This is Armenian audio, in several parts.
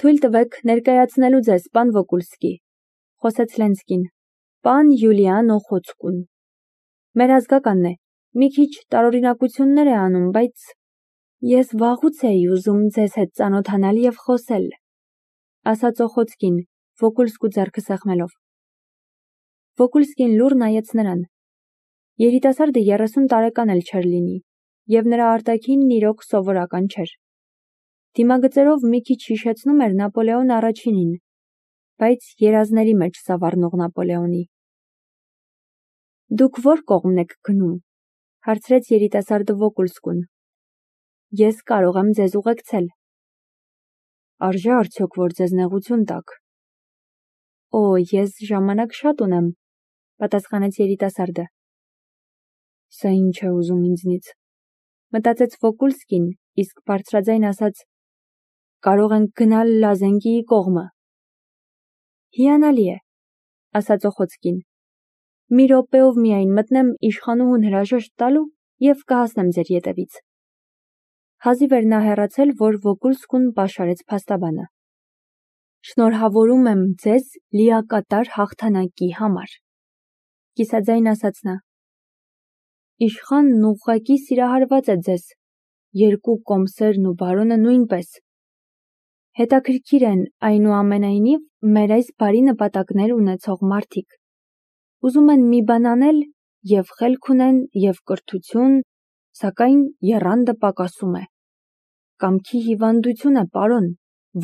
Թույլ տվեք ներկայացնելու ձեզ, պան Վոկուլսկի, խոսեց Լենսկին, պան Յուլիան Օխոցկուն։ Մեր ազգականն է, մի քիչ տարօրինակություններ է անում, բայց ես վաղուց էի ուզում ձեզ հետ ծանոթանալ եւ խոսել, ասաց Օխոցկին, Վոկուլսկու ձեռքը սեղմելով։ Վոկուլսկին լուռ նայեց նրան։ Երիտասարդը 30 տարեկան էլ չէր լինի, եւ նրա արտաքինն իրոք սովորական չէր։ Դիմագծերով մի քիչ հիշեցնում էր Նապոլեոն առաջինին, բայց երազների մեջ սավառնող Նապոլեոնի։ Դուք ո՞ր կողմն եք գնում, հարցրեց երիտասարդը Վոկուլսկուն։ Ես կարող եմ ձեզ ուղեկցել։ Արժե արդյոք, որ ձեզ նեղություն տակ։ Օ, ես ժամանակ շատ ունեմ, պատասխանեց երիտասարդը։ Սա ինչ է ուզում ինձնից, մտածեց Վոկուլսկին, իսկ բարձրաձայն ասաց. կարող ենք գնալ Լազենկիի կողմը։ Հիանալի է, ասաց Օխոցկին։ Մի րոպեով միայն մտնեմ իշխանուհուն հրաժեշտ տալու եւ կհասնեմ ձեր ետևից։ Հազիվ էր նա հեռացել, որ Վոկուլսկուն պաշարեց փաստաբանը։ Շնորհավորում եմ ձեզ լիակատար հաղթանակի համար, կիսաձայն ասաց նա։ Իշխանն ուղղակի սիրահարված է ձեզ, երկու կոմսերն ու բարոնը նույնպես։ Հետաքրքիր են այնուամենայնիվ մեր այս բարի նպատակներ ունեցող մարդիկ։ Ուզում են մի բան անել եւ խելք ունեն եւ կրթություն, սակայն եռանդը պակասում է։ Կամքի հիվանդություն է, պարոն,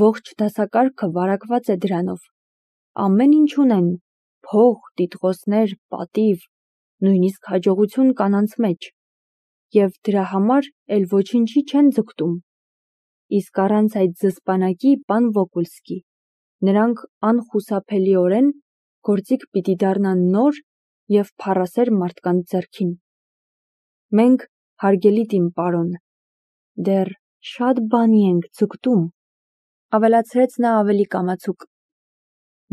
ողջ դասակարգը վարակված է դրանով։ Ամեն ինչ ունեն, փող, տիտղոսներ, պատիվ, նույնիսկ հաջողություն կանանց մեջ, եւ դրա համար էլ ոչինչի չեն ձգտում։ Իսկ առանց այդ զսպանակի, պան Վոկուլսկի, նրանք անխուսափելիորեն գործիք պիտի դառնան նոր եւ փառասեր մարդկանց ձեռքին։ Մենք, հարգելի տին պարոն, դեռ շատ բանի ենք ձգտում, ավելացրեց նա ավելի կամացուկ։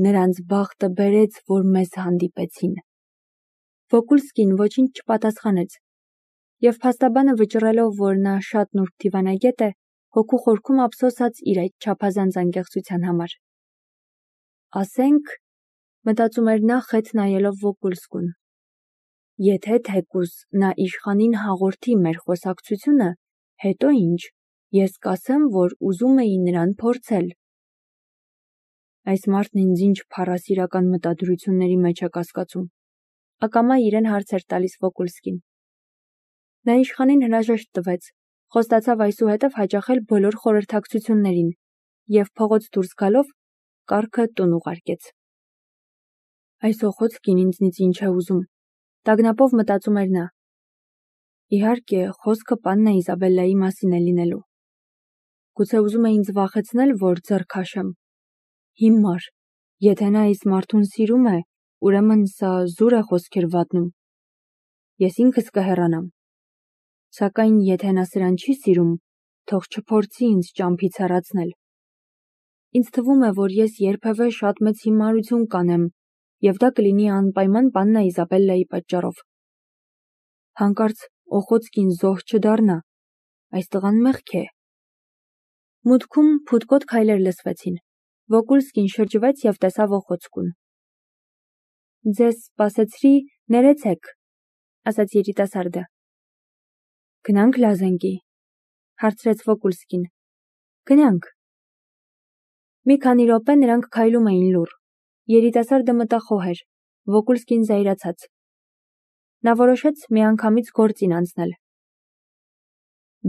Նրանց բախտը բերեց, որ մեզ հանդիպեցին։ Վոկուլսկին ոչինչ չպատասխանեց, եւ փաստաբանը վճռելով, որ նա շատ նուրբ դիվանագետ է, հոգու խորքում ափսոսաց իր այդ չափազանց անկեղծության համար։ Ասենք, մտածում էր նա խետ նայելով Վոկուլսկուն, եթե թեկուզ նա իշխանին հաղորդի մեր խոսակցությունը, հետո ինչ, ես կասեմ, որ ուզում էի նրան փորձել։ Այս մարդն ինձ ինչ փառասիրական մտադրությունների մեջ է կասկածում, ակամա իրեն հարց էր տալիս Վոկուլսկին։ Նա իշխանին հրաժեշտ տվեց, խոստացավ այսուհետև հաճախել բոլոր խորհրդակցություններին եւ փողոց դուրս գալով կառքը տուն ուղարկեց։ Այս Օխոցկին ինձնից ինչ է ուզում, տագնապով մտածում էր նա։ Իհարկե, խոսքը պաննա Իզաբելլայի մասին է լինելու։ Գուցե ուզում է ինձ վախեցնել, որ ձեռ քաշեմ։ Հիմար, եթե նա այս մարդուն սիրում է, ուրեմն սա զուր է խոսքեր վատնում։ Ես ինքս կհեռանամ։ Սակայն եթե նա սրան չի սիրում, թող չփորձի ինձ ճամփից հեռացնել։ Ինձ թվում է, որ ես երբևէ շատ մեծ հիմարություն կանեմ, եւ դա կլինի անպայման պաննա Իզաբելլայի պատճառով։ Հանկարծ Օխոցկին զոհ չդառնա, այս տղան մեղք է։ Մուտքում փութկոտ քայլեր լսվեցին։ Վոկուլսկին շրջվեց եւ տեսավ Օխոցկուն։ Ձեզ սպասեցրի, ներեցեք, ասաց երիտասարդը։ Գնանք Լազենկի, հարցրեց Վոկուլսկին։ Գնանք։ Մի քանի րոպե նրանք քայլում էին լուռ։ Երիտասարդը մտախոհ էր, Վոկուլսկին զայրացած։ Նա որոշեց միանգամից գործին անցնել։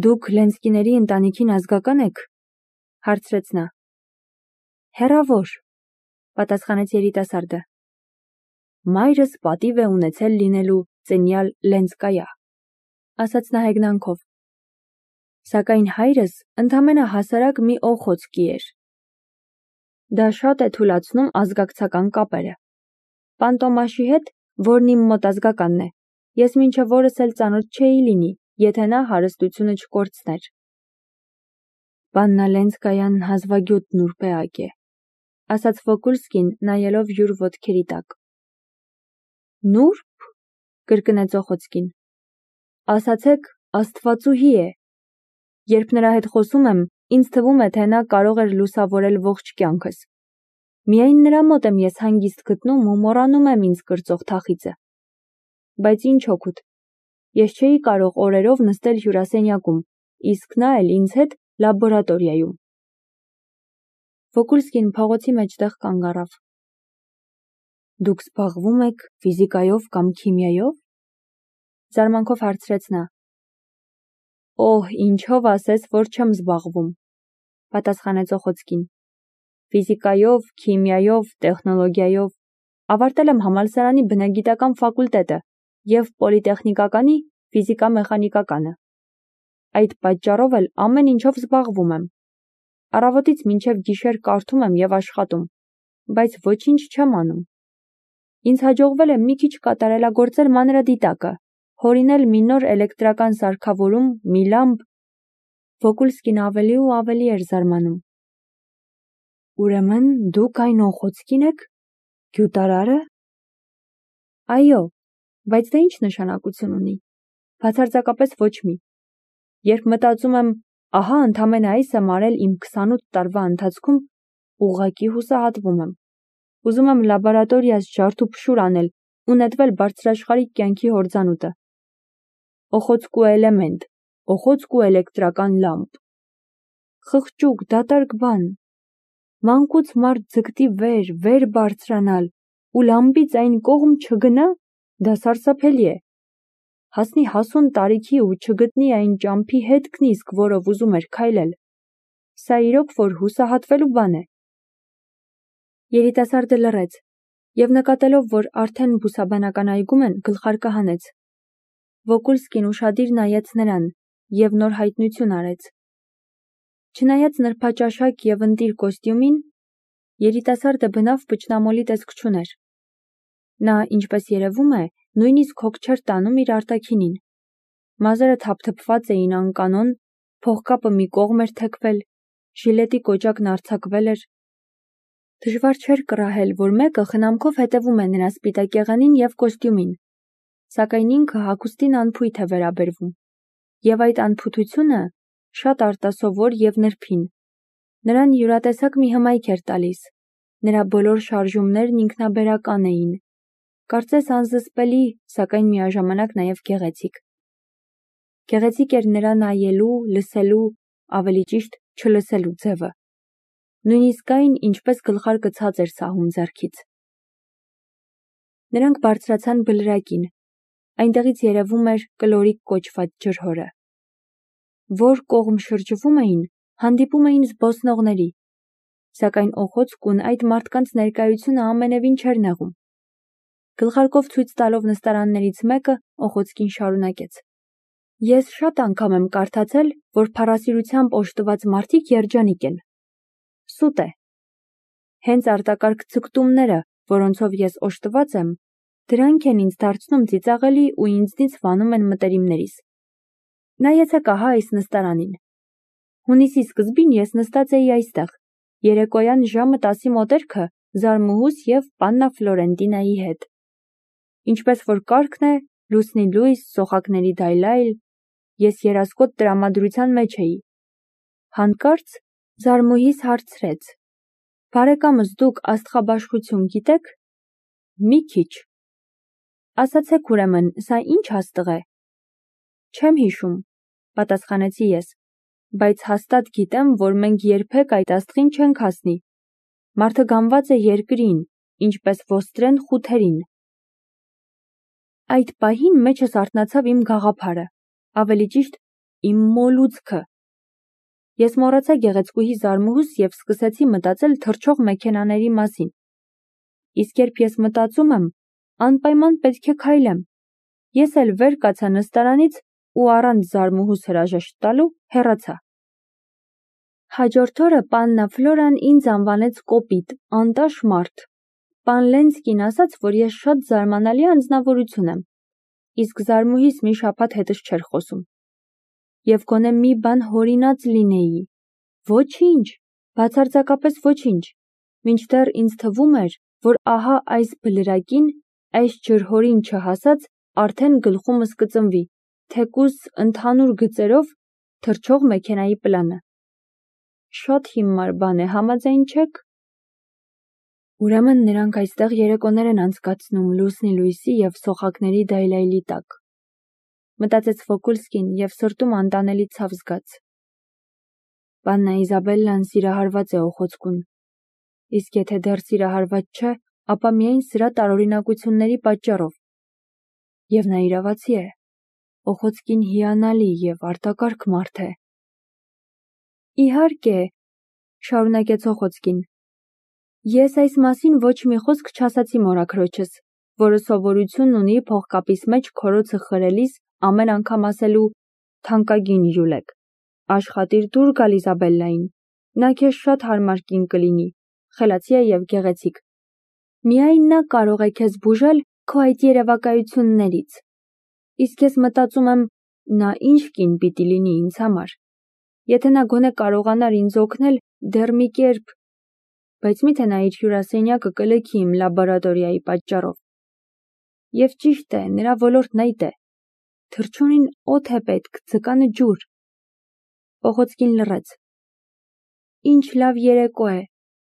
Դուք Լենսկիների ընտանիքին ազգական եք, հարցրեց նա։ Հեռավոր, պատասխանեց երիտասարդը։ Մայրս պատիվ է ունեցել լինելու ծնյալ Լենսկայա, ասաց նա հեգնանքով։ Սակայն հայրս ընդամենը հասարակ մի Օխոցկի էր։ Դա շատ է թուլացնում ազգակցական կապերը։ Պան Տոմաշի հետ, որն իմ մոտ ազգականն է, ես մինչև օրս էլ ծանոթ չէի լինի, եթե նա հարստությունը չկորցներ։ Պաննա Լենսկայան հազվագյուտ նուրբ էակ է, ասաց Վոկուլսկին, նայելով յուր ոտքերի տակ։ Նուրբ, կրկնեց Օխոցկին։ Ասացեք, Աստվածուհի է։ Երբ նրա հետ խոսում եմ, Ինձ թվում է, թե նա կարող էր լուսավորել ողջ կյանքս։ Միայն նրա մոտ եմ ես հանգիստ գտնում ու մոռանում եմ ինձ կրծող թախիծը։ Բայց ինչ օգուտ։ Ես չէի կարող օրերով նստել հյուրասենյակում, իսկ նա էլ ինձ հետ լաբորատորիայում։ Վոկուլսկին փողոցի մեջտեղ կանգ առավ։ Դուք զբաղվում եք ֆիզիկայով կամ քիմիայով։ Զարմանքով հարցրեց նա։ Օհ, ինչով ասես, որ չեմ զբաղվում, պատասխանեց Օխոցկին։ Ֆիզիկայով, քիմիայով, տեխնոլոգիայով, ավարտել եմ համալսարանի բնագիտական ֆակուլտետը և պոլիտեխնիկականի ֆիզիկա-մեխանիկականը։ Այդ պատճառով էլ ամեն ինչով զբաղվում եմ։ Առավոտից մինչև գիշեր կարդում եմ և աշխատում, բայց ոչինչ չեմ անում։ Ինձ հաջողվել է մի քիչ կատարելագործել մանրադիտակը, հորինել մի նոր էլեկտրական սարքավորում, մի լամպ։ Վոկուլսկին ավելի ու ավելի էր զարմանում։ Ուրեմն դուք այն Օխոցկին եք, գյուտարարը։ Այո, բայց դա ինչ նշանակություն ունի։ Բացարձակապես ոչ մի։ Երբ մտածում եմ, ահա ընդամենը այս եմ արել իմ 28 տարվա ընթացքում, ուղղակի հուսահատվում եմ։ Ուզում եմ լաբորատորիաս ջարդուփշուր անել ու նետվել բարձրաշխարհիկ կյանքի հորձանուտը։ Օխոցկու էլեմենտ, օխոցկու էլեկտրական լամպ։ Խղճուկ, դատարկ բան։ Մանկուց մարդ ձգտի վեր բարձրանալ ու լամպից այն կողմ չգնա, դա սարսափելի է։ Հասնի հասուն տարիքի ու չգտնի այն ճամփի հետքն իսկ, որով ուզում էր քայլել։ Սա իրոք որ հուսահատվելու բան է։ Երիտասարդը լռեց և նկատելով, որ արդեն բուսաբանական այգում են, գլխարկը հանեց։ Վոկուլսկին ուշադիր նայեց նրան և նոր հայտնություն արեց։ Չնայած նրբաճաշակ և ընտիր կոստյումին, երիտասարդը բնավ պճնամոլի տեսք չուներ։ Նա, ինչպես երևում է, նույնիսկ հոգ չէր տանում իր արտաքինին։ Մազերը թափթփված էին անկանոն, փողկապը մի կողմ էր թեքվել, ժիլետի կոճակն արձակվել էր։ Դժվար չէր կռահել, որ մեկը խնամքով հետևում է նրա սպիտակեղենին և կոստյումին, սակայն ինքը հագուստին անփույթ է վերաբերվում, և այդ անփութությունը շատ արտասովոր և նրբին։ Նրան յուրատեսակ մի հմայք էր տալիս, նրա բոլոր շարժումներն ինքնաբերական էին, կարծես անզսպելի, սակայն միաժամանակ նաև գեղեցիկ։ Գեղեցիկ էր նրա նայելու, լսելու, ավելի ճիշտ չլսելու ձևը։ Նույնիսկ այն, ինչպես գլխարկը ցած էր սահում ձեռքից։ Նրանք բարձրացան բլրակին, այնտեղից երևում էր կլորիկ կոչված ջրհորը։ Որ կողմ շրջվում էին, հանդիպում էին զբոսնողների, սակայն Օխոցկուն այդ մարդկանց ներկայությունը ամենևին չէր նեղում։ Գլխարկով ցույց տալով նստարաններից մեկը, Օխոցկին շարունակեց. Ես շատ անգամ եմ կարդացել, որ փառասիրությամբ օժտված մարդիկ երջանիկ են։ Սուտ է։ Հենց արտակարգ ձգտումները, որոնցով ես օժտված եմ, դրանք են ինձ դարձնում ծիծաղելի ու ինձնից վանում են մտերիմներիս։ Նայեցեք ահա այս նստարանին։ Հունիսի սկզբին ես նստած էի այստեղ, երեկոյան ժամը 10-ի մոտերքը Զարմուհուս և Պաննա Ֆլորենտինայի հետ։ Ինչպես որ կարգն է, լուսնի լույս, սոխակների դայլայլ, ես երասկոտ տրամադրության մեջ էի։ Հանկարծ Զարմուհիս հարցրեց. Բարեկամս դուք աստղաբաշխություն գիտեք։ Մի քիչ։ Ասացեք ուրեմն, սա ինչ աստղ է։ Չեմ հիշում, պատասխանեցի ես, բայց հաստատ գիտեմ, որ մենք երբեք այդ աստղին չենք հասնի։ Մարդը գանված է երկրին, ինչպես ոստրեն խութերին։ Այդ պահին մեջս արթնացավ իմ գաղափարը, ավելի ճիշտ իմ մոլուցքը։ Ես մոռացա գեղեցկուհի Զարմուհուս և սկսեցի մտածել թռչող մեքենաների մասին։ Իսկ երբ ես մտածում եմ, անպայման պետք է քայլեմ։ Ես էլ վեր կացա նստարանից ու առանց Զարմուհուս հրաժեշտ տալու հեռացա։ Հաջորդ օրը Պաննա Ֆլորան ինձ անվանեց կոպիտ, անտաշ մարդ։ Պան Լենսկին ասաց, որ ես շատ զարմանալի անձնավորություն եմ, իսկ Զարմուհիս մի շաբաթ հետս չէր խոսում։ Եվ գոնե մի բան հորինած լինեի։ Ոչինչ, բացարձակապես ոչինչ, մինչդեռ ինձ թվում էր, որ ահա այս բլրակին, այս ջրհորին չհասած, արդեն գլխումս կծնվի, թեկուզ ընդհանուր գծերով թռչող մեքենայի պլանը։ Շատ հիմար բան է, համաձայն չեք։ Ուրեմն նրանք այստեղ երեկոներ են անցկացնում լուսնի լույսի և սոխակների դայլայլի տակ։ Մտածեց Վոկուլսկին և սրտում անտանելի ցավ զգաց։ Պաննա Իզաբելլան սիրահարված է Օխոցկուն, իսկ եթե դեռ սիրահարված չէ, ապա միայն սրա տարօրինակությունների պատճառով։ Եվ նա իրավացի է, Օխոցկին հիանալի և արտակարգ մարդ է։ Իհարկե, շարունակեց Օխոցկին, ես այս մասին ոչ մի խոսք չասացի մորաքրոջս, որը սովորություն ունի փողկապիս մեջ քորոցը խրելիս ամեն անգամ ասելու թանկագին Յուլեք, աշխատիր դուր գալ Իզաբելլային, նա քեզ շատ հարմար կին կլինի, խելացի է և գեղեցիկ։ Միայն նա կարող է քեզ բուժել քո այդ երևակայություններից։ Իսկ ես մտածում եմ, նա ինչ կին պիտի լինի ինձ համար։ Եթե նա գոնե կարողանար ինձ օգնել դեռ մի կերպ, բայց միթե նա իր հյուրասենյակը կլքի իմ լաբորատորիայի պատճառով։ Եվ ճիշտ է, նրա ոլորտն այդ է։ Թռչունին օդ է պետք, ձկանը ջուր։ Օխոցկին լռեց։ Ինչ լավ երեկո է։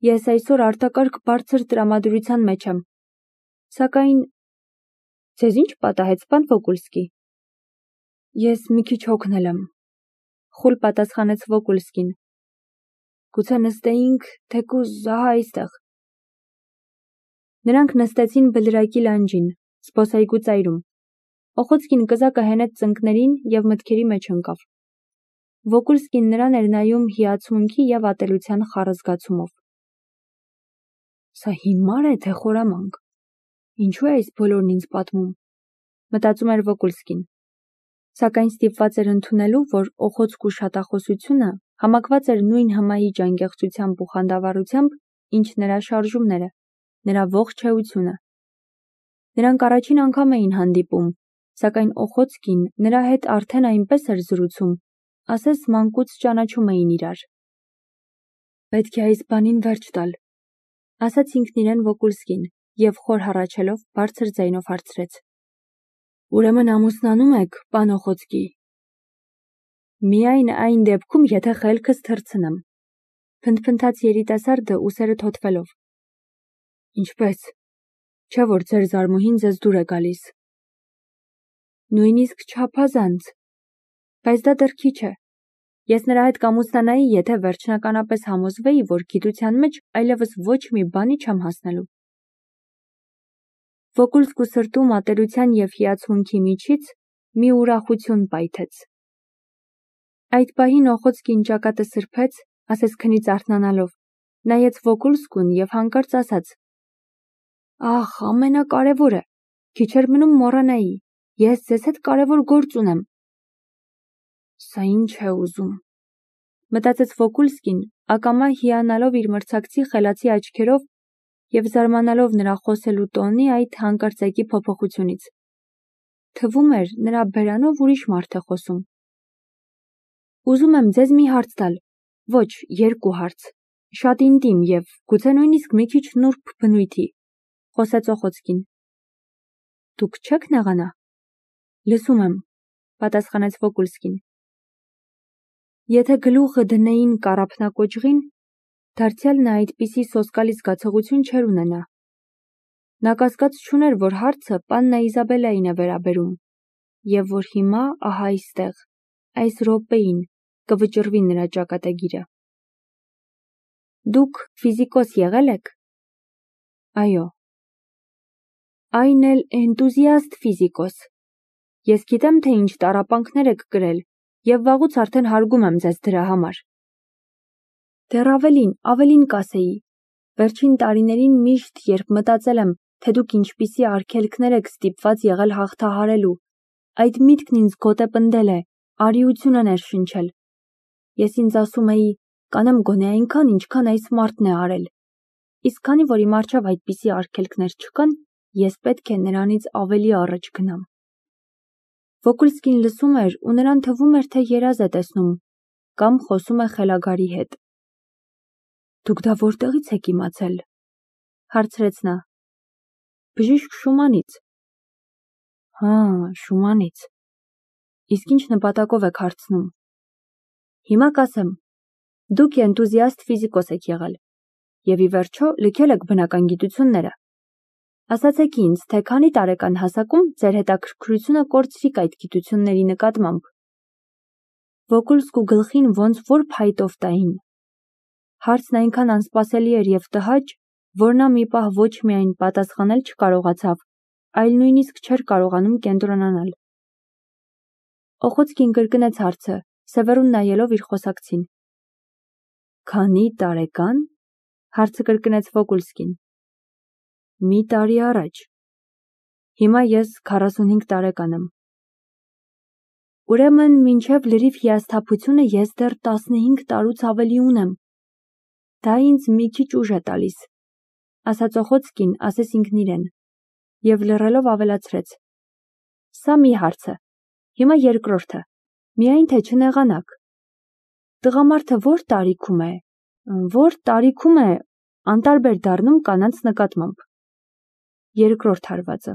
Ես այսօր արտակարգ բարձր տրամադրության մեջ եմ։ Սակայն ձեզ ինչ պատահեց, պան Վոկուլսկի։ Ես մի քիչ հոգնել եմ, խուլ պատասխանեց Վոկուլսկին։ Գուցե նստեինք, թեկուզ ահա այստեղ։ Նրանք նստեցին բլրակի լանջին, զբոսայգու ծայրում։ Օխոցկին կզակը հենեց ծնկներին և մտքերի մեջ ընկավ։ Վոկուլսկին նրան էր նայում հիացմունքի և ատելության խառը զգացումով։ Սա հիմար է, թե խորամանկ։ Ինչու է այս բոլորն ինձ պատմում, մտածում էր Վոկուլսկին։ Սակայն ստիպված էր ընդունելու, որ Օխոցկու շատախոսությունը համակված էր նույն հմայիչ անկեղծությամբ ու խանդավառությամբ, ինչ նրա շարժումները, նրա ողջ էությունը։ Նրանք առաջին անգամ էին հանդիպում, սակայն Օխոցկին նրա հետ արդեն այնպես էր զրուցում, ասես մանկուց ճանաչում էին իրար։ Պետք է այս բանին վերջ տալ, ասաց ինքն իրեն Վոկուլսկին և խոր հառաչելով բարձր ձայնով հարցրեց. Ուրեմն ամուսնանում եք, պան Օխոցկի։ Միայն այն դեպքում, եթե խելքս թռցնեմ, փնթփնթաց երիտասարդը ուսերը թոթվելով։ Ինչպես, չէ՞ որ ձեր զարմուհին ձեզ դուր է գալիս։ Նույնիսկ չափազանց, բայց դա դեռ քիչ է։ Ես նրա հետ կամուսնանայի, եթե վերջնականապես համոզվեի, որ գիտության մեջ այլևս ոչ մի բանի չեմ հասնելու։ Վոկուլսկու սրտում ատելության և հիացմունքի միջից մի ուրախություն պայթեց։ Այդ պահին Օխոցկին ճակատը սրբեց, ասես քնից արթնանալով, նայեց Վոկուլսկուն և հանկարծ ասաց. Ահ, ամենակարևորը, քիչ էր մնում մոռանայի, ես ձեզ հետ կարևոր գործ ունեմ։ Սա ինչ է ուզում, մտածեց Վոկուլսկին, ակամա հիանալով իր մրցակցի խելացի աչքերով և զարմանալով նրա խոսելու տոնի այդ հանկարծակի փոփոխությունից։ Թվում էր, նրա բերանով ուրիշ մարդ է խոսում։ Ուզում եմ ձեզ մի հարց տալ, ոչ, երկու հարց, շատ ինտիմ և գուցե նույնիսկ մի քիչ նուրբ բնույթի, խոսեց Օխոցկին։ Դուք չեք նեղանա։ Լսում եմ, պատասխանեց Վոկուլսկին։ Եթե գլուխը դնեին կառափնակոճղին, դարձյալ նա այդպիսի սոսկալի զգացողություն չէր ունենա։ Նա կասկած չուներ, որ հարցը պաննա Իզաբելլային է վերաբերում, և որ հիմա ահա այստեղ, այս րոպեին, կվճռվի նրա ճակատագիրը։ Դուք ֆիզիկոս եղել եք։ Այո։ Այն էլ էնտուզիաստ ֆիզիկոս։ Ես գիտեմ, թե ինչ տառապանքներ եք կրել և վաղուց արդեն հարգում եմ ձեզ դրա համար։ Դեռ ավելին կասեի, վերջին տարիներին միշտ, երբ մտածել եմ, թե դուք ինչպիսի արգելքներ եք ստիպված եղել հաղթահարելու, այդ միտքն ինձ գոտեպնդել է, արիություն է ներշնչել։ Ես ինձ ասում էի, կանեմ գոնե այնքան, ինչքան այս մարդն է արել։ Իսկ քանի որ իմ առջև այդպիսի արգելքներ չկան, ես պետք է նրանից ավելի առաջ գնամ։ Վոկուլսկին լսում էր ու նրան թվում էր, թե երազ է տեսնում, կամ խոսում է խելագարի հետ։ Դուք դա որտեղից եք իմացել, հարցրեց նա։ Բժիշկ Շումանից։ Հա, Շումանից։ Իսկ ինչ նպատակով եք հարցնում։ Հիմա կասեմ։ Դուք էնտուզիաստ ֆիզիկոս եք եղել և ի վերջո լքել եք բնական գիտությունները։ Ասացեք ինձ, թե քանի տարեկան հասակում ձեր հետաքրքրությունը կորցրիք այդ գիտությունների նկատմամբ։ Վոկուլսկու գլխին ոնց որ փայտով տային։ Հարցն այնքան անսպասելի էր և տհաճ, որ նա մի պահ ոչ միայն պատասխանել չկարողացավ, այլ նույնիսկ չէր կարողանում կենտրոնանալ։ Օխոցկին կրկնեց հարցը, Սևեռուն նայելով իր խոսակցին։ Քանի տարեկան, հարցը կրկնեց Վոկուլսկին։ Մի տարի առաջ։ Հիմա ես 45 տարեկան եմ։ Ուրեմն մինչև լրիվ հիասթափությունը ես դեռ 15 տարուց ավելի ունեմ։ Դա ինձ մի քիչ ուժ է տալիս, ասաց Օխոցկին, ասես ինքն իրեն, և լռելով ավելացրեց. Սա մի հարց է, հիմա երկրորդը, միայն թե չնեղանաք։ Տղամարդը որ տարիքում է անտարբեր դառնում կանանց նկատմամբ։ Երկրորդ հարվածը։